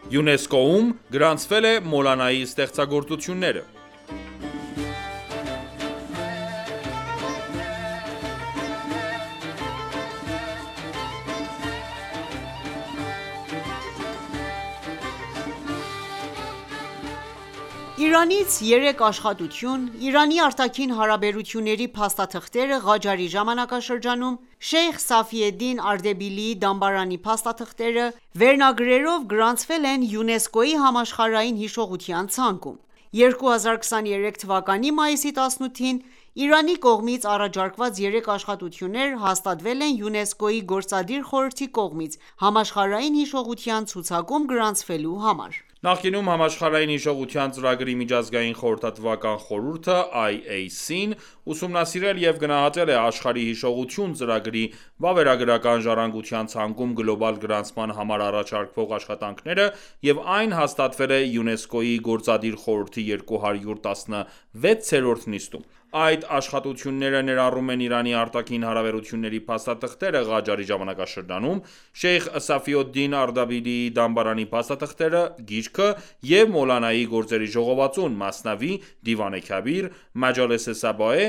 ՅՈՒՆԵՍԿՕ-ում գրանցվել է Մոլանայի ստեղծագործությունները։ Իրանից 3 աշխատություն, Իրանի արտաքին հարաբերությունների փաստաթղթերը Ղաջարի ժամանակաշրջանում, Շեյխ Սաֆիեդդին Արդեբիլիի դամբարանի փաստաթղթերը վերնագրերով գրանցվել են ՅՈՒՆԵՍԿՕ-ի Համաշխարհային հիշողության ցանկում։ 2023 թվականի մայիսի 18-ին Իրանի կողմից առաջարկված 3 աշխատություններ հաստատվել են ՅՈՒՆԵՍԿՕ-ի Գործադիր խորհրդի կողմից համաշխարհային հիշողության ցուցակում գրանցվելու համար։ Նախկինում Համաշխարհային հիշողության ծրագրի միջազգային խորհրդատվական խորհուրդը (IAC)-ն ուսումնասիրել և գնահատել է աշխարհի հիշողություն ծրագրի վավերագրական ժառանգության ցանկում գլոբալ գրանցման համար առաջարկվող աշխատանքները և այն հաստատվել է ՅՈՒՆԵՍԿՕ-ի Գործադիր խորհրդի 216-րդ նիստում։ Այդ աշխատությունները ներառում են Իրանի արտաքին հարաբերությունների փաստաթղթերը Ղաջարի ժամանակաշրջանում, Շեյխ Սաֆիոդդին Արդաբիլիի դամբարանի փաստաթղթերը, գիրքը և Մոլանայի գործերի ժողովածուն (Մասնավի, Դիվան-ե Քաբիր, Մաջալես-ե Սաբաե,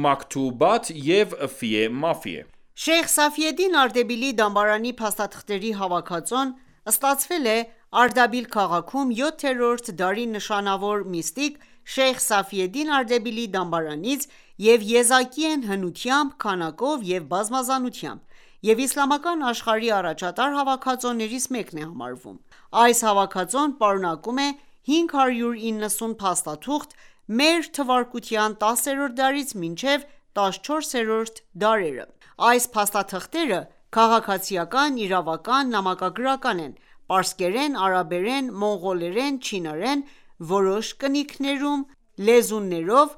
Մաքթուբաթ և Ֆիե Մաֆիե)։ Շեյխ Սաֆիեդդին Արդեբիլիի դամբարանի փաստաթղթերի հավաքածուն ստացվել է Արդաբիլ քաղաքում 7-րդ դարի նշանավոր միստիկ Շեյխ Սաֆիեդդին Արդեբիլիի դամբարանից և եզակի են հնությամբ, քանակով և բազմազանությամբ և իսլամական աշխարհի առաջատար հավաքածուներից մեկն է համարվում։ Այս հավաքածուն պարունակում է 590 փաստաթուղթ մ.թ. 10-րդ դարից մինչև 14-րդ դարերը։ Այս փաստաթղթերը քաղաքացիական, իրավական, նամակագրական են, պարսկերեն, արաբերեն, մոնղոլերեն, չինարեն, որոշ կնիքներում լեզուներով,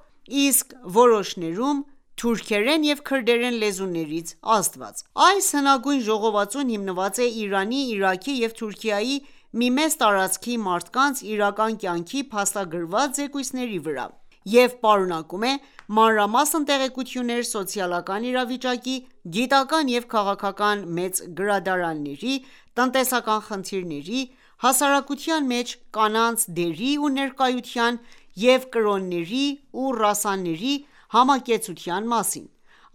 իսկ որոշներում թուրքերեն և քրդերեն լեզուներից ազդված։ Այս հնագույն ժողովածուն հիմնված է Իրանի, Իրաքի և Թուրքիայի մի մեծ տարածքի մարդկանց իրական կյանքի փաստագրված զեկույցների վրա և պարունակում է մանրամասն տեղեկություններ սոցիալական իրավիճակի, գիտական և քաղաքական մեծ գրադարանների, տնտեսական խնդիրների, հասարակության մեջ կանանց դերի ու ներկայության և կրոնների ու ռասաների համակեցության մասին։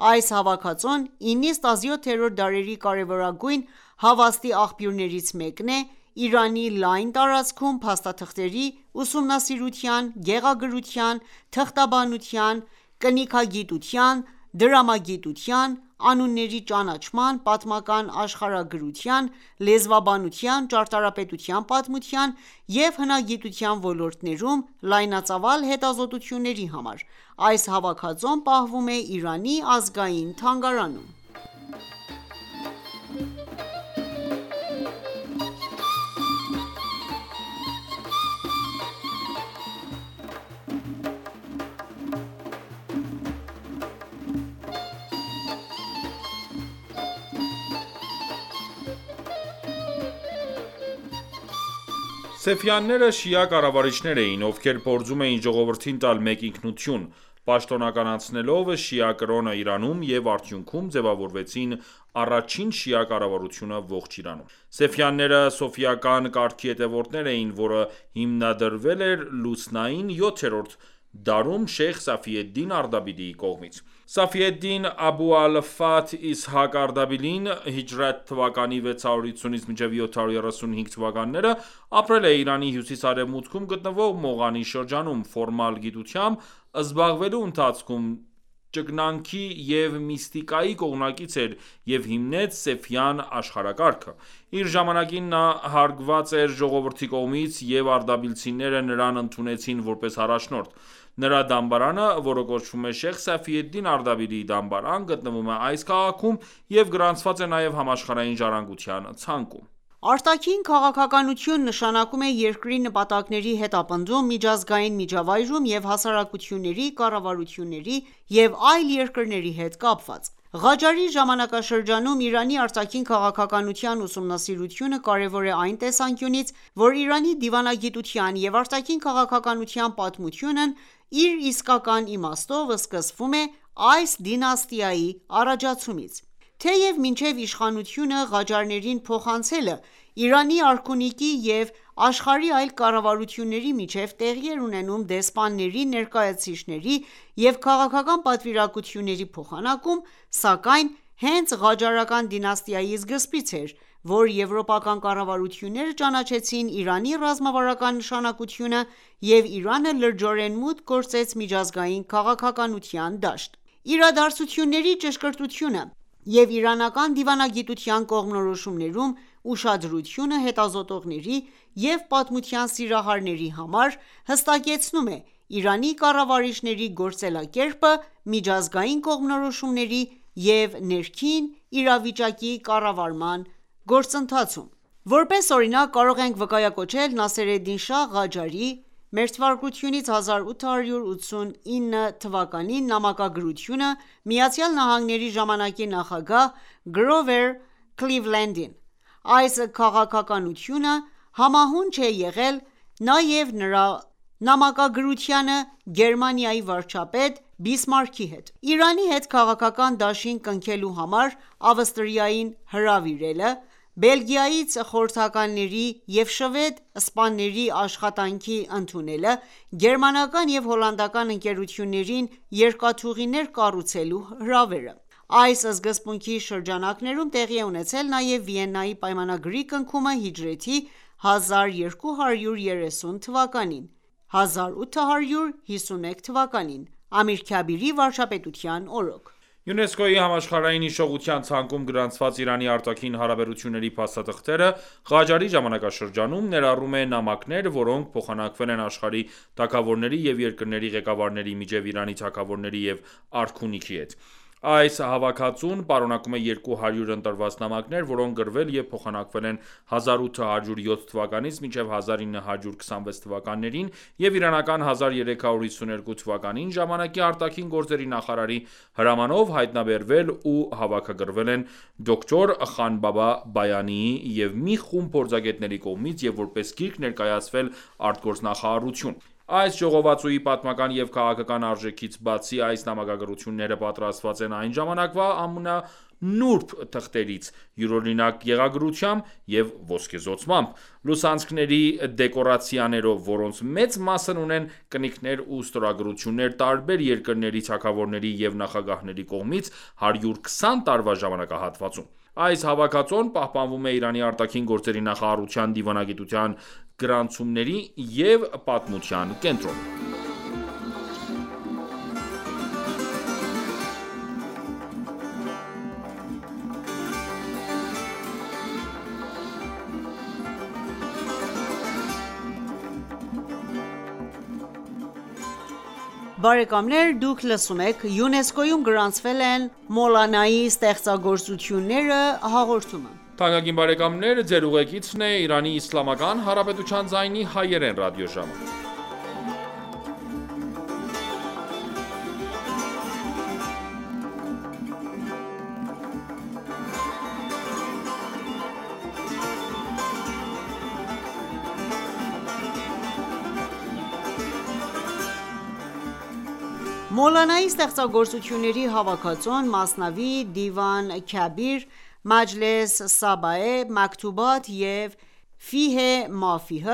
Այս հավաքածուն 9-17-րդ դարերի կարևորագույն հավաստի աղբյուրներից մեկն է Իրանի լայն տարածքում փաստաթղթերի ուսումնասիրության, գեղագրության, թղթաբանության, կնիքագիտության, դրամագիտության, անունների ճանաչման, պատմական աշխարհագրության, լեզվաբանության, ճարտարապետության, պատմության և հնագիտության ոլորտներում լայնածավալ հետազոտությունների համար։ Այս հավաքածուն պահվում է Իրանի ազգային թանգարանում։ Սեֆյանները շիա կառավարիչներ էին, ովքեր փորձում էին ժողովրդին տալ մեկ ինքնություն, պաշտոնականացնելով շիա կրոնը Իրանում և արդյունքում ձևավորվեցին առաջին շիա կառավարությունը ողջ Իրանում։ Սեֆյանները սոֆիական կարգի հետևորդներ էին, որը հիմնադրվել էր լուսնային 7-րդ դարում Շեյխ Սաֆիեդդին Արդաբիլիի կողմից։ Սաֆիեդդին Աբու ալ-Ֆաթհ Իսհակ Արդաբիլին հիջրեթ թվականի 650-ից մինչև 735 թվականները ապրել է Իրանի հյուսիս-արևմուտքում գտնվող Մողանի շրջանում։ Ֆորմալ գիտությամբ զբաղվելու ընթացքում ճգնանքի և միստիկայի կողմնակից էր և հիմնեց Սեֆյան աշխարհակարգը։ Իր ժամանակին նա հարգված էր ժողովրդի կողմից, և արդաբիլցիները նրան ընդունեցին որպես առաջնորդ։ Նրա դամբարանը, որը կոչվում է Շեյխ Սաֆիեդդին Արդաբիլիի դամբարան, գտնվում է այս քաղաքում և գրանցված է նաև համաշխարհային ժառանգության ցանկում։ Արտաքին քաղաքականություն նշանակում է երկրի նպատակների հետապնդում միջազգային միջավայրում և հասարակությունների, կառավարությունների և այլ երկրների հետ կապված։ Ղաջարի ժամանակաշրջանում Իրանի արտաքին քաղաքականության ուսումնասիրությունը կարևոր է այն տեսանկյունից, որ Իրանի դիվանագիտության և արտաքին քաղաքականության պատմությունն իր իսկական իմաստով սկսվում է այս դինաստիայի առաջացումից։ Թեև մինչև իշխանությունը Ղաջարներին փոխանցելը Իրանի արքունիքի և աշխարհի այլ կառավարությունների միջև տեղի էր ունենում դեսպանների, ներկայացուցիչների և քաղաքական պատվիրակությունների փոխանակում, սակայն հենց Ղաջարական դինաստիայի սկզբից էր, որ եվրոպական կառավարությունները ճանաչեցին Իրանի ռազմավարական նշանակությունը և Իրանը լրջորեն մուտք գործեց միջազգային քաղաքականության դաշտ: Իրադարձությունների ճշգրտությունը և իրանական դիվանագիտության կողմնորոշումներում ուշադրությունը հետազոտողների և պատմության սիրահարների համար հստակեցնում է Իրանի կառավարիչների գործելակերպը միջազգային կողմնորոշումների և ներքին իրավիճակի կառավարման գործընթացում: Որպես օրինակ կարող ենք վկայակոչել Նասերեդին Շահ Ղաջարի (1289 թ.) նամակագրությունը ԱՄՆ-ի ժամանակի նախագահ Գրովեր Քլիվլենդին: Այս քաղաքականությունը համահունչ է եղել նաև նրա նամակագրությանը Գերմանիայի վարչապետ Բիսմարքի հետ: Իրանի հետ քաղաքական դաշինք կնքելու համար Ավստրիային հրավիրելը, Բելգիայից խորհրդականների և շվեդ սպաների աշխատանքի ընդունելը, գերմանական և հոլանդական ընկերություններին երկաթուղիներ կառուցելու հրավերը: Այս սկզբունքի շրջանակներում տեղի է ունեցել նաև Վիեննայի պայմանագրի կնքումը հիջրեթի 1230 թվականին (1851 թ.) Ամիր Քաբիրի վարչապետության օրոք: ՅՈՒՆԵՍԿՕ-ի Համաշխարհային հիշողության ցանկում գրանցված Իրանի արտաքին հարաբերությունների փաստաթղթերը Ղաջարի ժամանակաշրջանում ներառում է նամակներ, որոնք փոխանակվել են աշխարհի թագավորների և երկրների ղեկավարների միջև Իրանի թագավորների և արքունիքի հետ: Այս հավաքածուն պարունակում է 200 ընտրված նամակներ, որոնք գրվել և փոխանակվել են 1807 թվականից մինչև 1926 թվականներին և իրանական 1352 թվականին ժամանակի արտաքին գործերի նախարարի հրամանով հայտնաբերվել ու հավաքագրվել են դոկտոր Խանբաբա Բայանիի և մի խումբ փորձագետների կողմից և որպես գիրք ներկայացվել արտգործնախարարություն: Այս ժողովածուի պատմական և քաղաքական արժեքից բացի, այս նամակագրությունները պատրաստված են այն ժամանակվա ամենանուրբ թղթերից, յուրօրինակ գեղագրությամբ և ոսկեզօծմամբ, լուսանցքների դեկորացիաներով, որոնց մեծ մասն ունեն կնիքներ ու ստորագրություններ տարբեր երկրների թագավորների և նախագահների կողմից 120 տարվա ժամանակահատվածում: Այս հավաքածուն պահպանվում է Իրանի արտաքին գործերի նախարարության դիվանագիտության գրանցումների և պատմության կենտրոնում: Բարեկամներ դուք լսում եք «ՅՈՒՆԵՍԿՕ-ում գրանցվել են Մոլանայի ստեղծագործությունները» հաղորդումը: Թանկագին բարեկամներ Ձեր ուղեկիցն է Իրանի Իսլամական Հանրապետության ձայնի հայերեն ռադիոժամը: Մոլանայի ստեղծագործությունների հավաքածուն «Մասնավի», «Դիվան Քաբիր», «Մաջլես Սաբաե», «Մաքթուբաթ» և «Ֆիհ Մաֆիհ»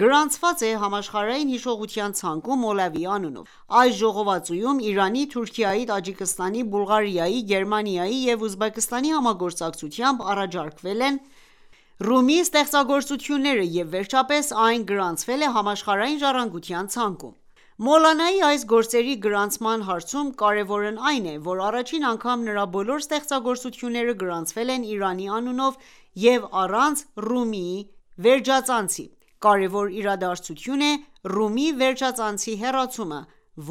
գրանցված է Համաշխարհային հիշողության ցանկում Մոլավիի անունով: Այս ժողովածուում Իրանի, Թուրքիայի, Տաջիկստանի, Բուլղարիայի, Գերմանիայի և Ուզբեկստանի համագործակցությամբ առաջարկվել են Ռումի ստեղծագործությունները և վերջապես այն գրանցվել է Համաշխարհային ժառանգության ցանկում: Մոլանայի այս գործերի գրանցման հարցում կարևորն այն է, որ առաջին անգամ նրա բոլոր ստեղծագործությունները գրանցվել են Իրանի անունով և առանց Ռումիի վերջածանցի: Կարևոր իրադարձություն է Ռումի վերջածանցի հեռացումը,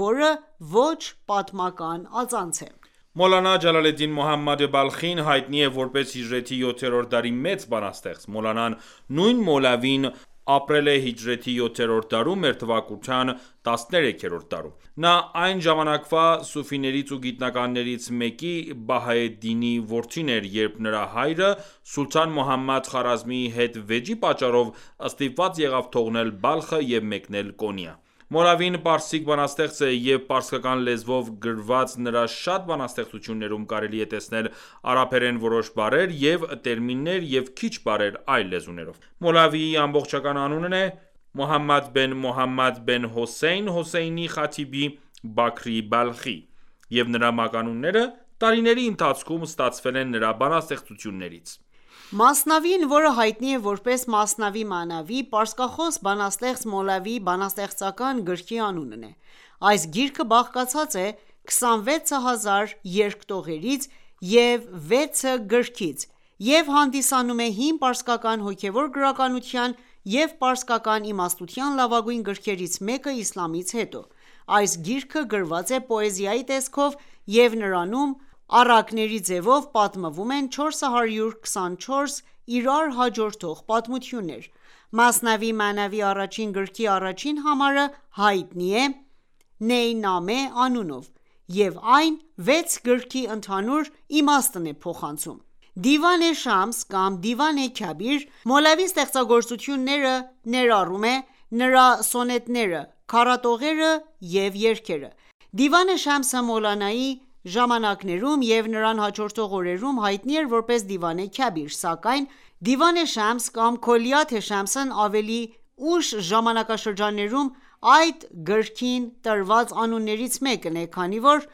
որը ոչ պատմական ածանց է: Մոլանա Ջալալեդդին Մոհամմադ Բալխին հայտնի է որպես հիջրեթի 7-րդ դարի մեծ բանաստեղծ: Մոլանան նույն Մոլավին ապրել է հիջրեթի 7-րդ դարում, մերթվակության 13-րդ դարում: Նա այն ժամանակվա սուֆիներից ու գիտնականներից մեկի Բահաեդդինի որդին էր, երբ նրա հայրը Սուլթան Մոհամմադ Խարազմիի հետ վեճի պատճառով ստիպված եղավ թողնել Բալխը և մեկնել Կոնիա: Մոլավին պարսիկ բանաստեղծ է և պարսկական լեզվով գրված նրա շատ բանաստեղծություններում կարելի է տեսնել արաբերեն որոշ բառեր և տերմիններ և քիչ բառեր այլ լեզուներով: Մոլավիի ամբողջական անունն է Մոհամմադ բեն Մոհամմադ բեն Հոսեյն Հոսեյնի Խաթիբի Բաքրի Բալխի և նրա մականունները տարիների ընթացքում ստացվել են նրա բանաստեղծություններից: Մասնավին, որը հայտնի է որպես Մասնավի Մանավի, պարսկախոս բանաստեղծ Մոլավիի բանաստեղծական գրքի անունն է: Այս գիրքը բաղկացած է 26000 երկտողերից և 6 գրքից և հանդիսանում է հին պարսկական հոգևոր գրականության և պարսկական իմաստության լավագույն գրքերից մեկը իսլամից հետո: Այս գիրքը գրված է պոեզիայի տեսքով և նրանում առակների ձևով պատմվում են 424 իրար հաջորդող պատմություններ: Մասնավի Մանավի առաջին գրքի առաջին համարը հայտնի է Նեյնամե անունով և այն 6 գրքի ընդհանուր իմաստն է փոխանցում: Դիվան Շամս կամ Դիվան Քաբիր Մոլավի ստեղծագործությունները ներառում է նրա սոնետները, քառատողերը և երգերը: Դիվան Շամսը Մոլանայի ժամանակներում և նրան հաջորդող օրերում հայտնի էր որպես Դիվան Քաբիր, սակայն Դիվան Շամս կամ Քոլիաթ Շամսն ավելի ուշ ժամանակաշրջաններում այդ գրքին տրված անուններից մեկն է, քանի որ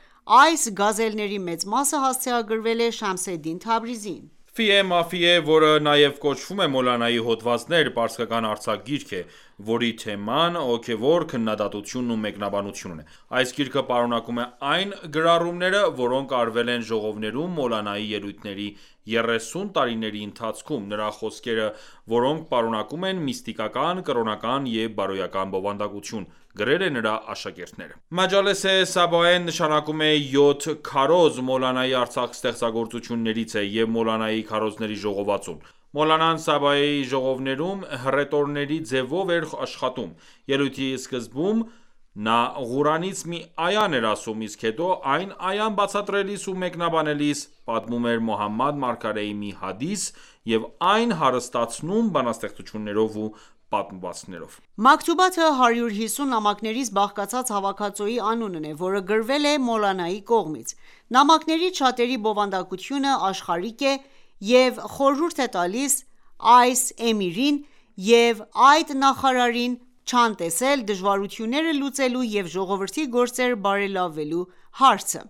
այս գազելների մեծ մասը հասցեագրվել է Շամսեդդին Թաբրիզիին: Ֆիե Մաֆիե, որը նաև կոչվում է Մոլանայի հոդվածներ, պարսկական արձակ-գիրք է, որի թեման հոգևոր քննադատությունն ու մեկնաբանությունն է: Այս գիրքը պարունակում է այն գրառումները, որոնք արվել են ժողովներում Մոլանայի ելույթների 30 տարիների ընթացքում, նրա խոսքերը, որոնք պարունակում են միստիկական, կրոնական և բարոյական բովանդակություն, գրել է նրա աշակերտները: Մաջալես-ե Սաբաեն նշանակում է 7 քարոզ, Մոլանայի արձակ ստեղծագործություններից է և Մոլանայի քարոզների ժողովածուն: Մոլանան Սաբաեի ժողովներում հռետորների ձևով էր աշխատում: Ելույթի սկզբում նա Ղուրանից մի այան էր ասում, իսկ հետո այն այան բացատրելիս ու մեկնաբանելիս, պատմում էր Մոհամմադ մարգարեի մի հադիս և այն հարստացնում բանաստեղծություններով ու պատմվածքներով: Մաքթուբաթը 150 նամակներից բաղկացած հավաքածուի անունն է, որը գրվել է Մոլանայի կողմից: Նամակներից շատերի բովանդակությունը աշխարհիկ է և խորհուրդ է տալիս այս էմիրին և այդ նախարարին չանտեսել դժվարությունները լուծելու և ժողովրդի գործերը բարելավելու հարցը: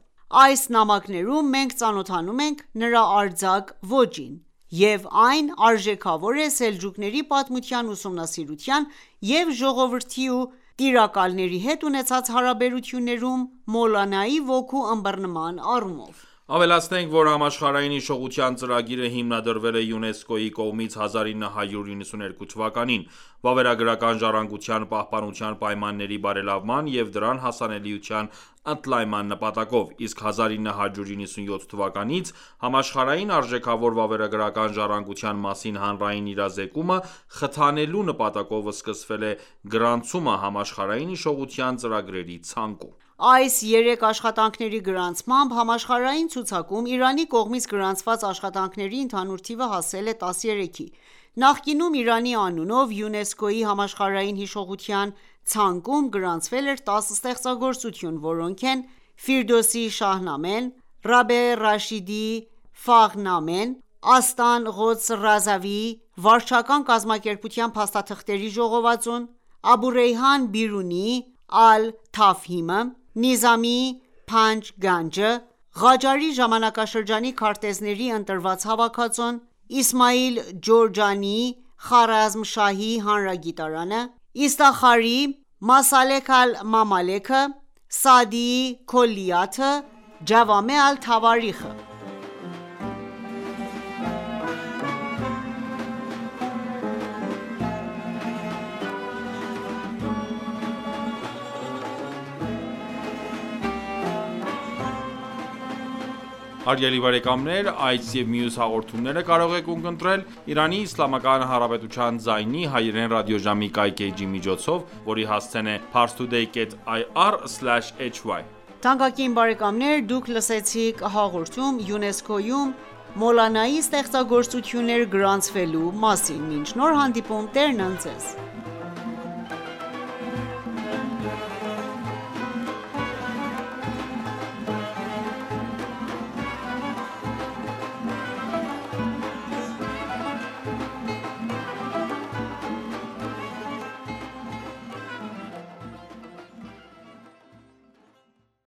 Այս նամակներում մենք ծանոթանում ենք նրա արձակ ոճին և այն արժեքավոր է սելջուկների պատմության ուսումնասիրության և ժողովրդի ու տիրակալների հետ ունեցած հարաբերություններում Մոլանայի ոգու ըմբռնման առումով: Ավելացնենք, որ Համաշխարհային հիշողության ծրագիրը հիմնադրվել է ՅՈՒՆԵՍԿՕ-ի կողմից 1992 թվականին՝ վավերագրական ժառանգության պահպանության պայմանների բարելավման և դրան հասանելիության ընդլայնման նպատակով, իսկ 1997 թվականից Համաշխարհային արժեքավոր վավերագրական ժառանգության մասին հանրային իրազեկումը խթանելու նպատակով սկսվել է գրանցումը համաշխարհային հիշողության ծրագրերի ցանկում: Այս 3 աշխատանքների գրանցմամբ համաշխարհային ցուցակում Իրանի կողմից գրանցված աշխատանքների ընդհանուր թիվը հասել է 13-ի: Նախկինում Իրանի անունով ՅՈՒՆԵՍԿՕ-ի համաշխարհային հիշողության ցանկում գրանցվել էր 10 ստեղծագործություն, որոնք են Ֆիրդուսի Շահնամեն, Ռաբե Ռաշիդի Ֆաղնամեն, Աստան Ղոդս Ռազավիի վարչական կազմակերպության փաստաթղթերի ժողովածուն, Աբուռեյհան Բիրունիի Ալ-Թաֆհիմը, Նիզամիի Փանջ Գանջը, Ղաջարի ժամանակաշրջանի քարտեզների ընտրված հավաքածուն, Իսմայիլ Ջորջանիի Խարազմշահի հանրագիտարանը, Իստախարիի Մասալեք Ալ-Մամալեքը, Սաադիի Քոլիաթը, Ջավամե Ալ-Թավարիխը: Հարգելի բարեկամներ, այս և մյուս հաղորդումները կարող եք ունկնդրել ԻԻՀ ձայնի հայերեն ռադիոժամի կայքէջի միջոցով, որի հասցեն է parstoday.ir/hy: Թանկագին բարեկամներ, դուք լսեցիք հաղորդում ՅՈՒՆԵՍԿՕ-ում Մոլանայի ստեղծագործություններ գրանցվելու մասին: Մինչ նոր հանդիպում Տերն ընդ Ձեզ: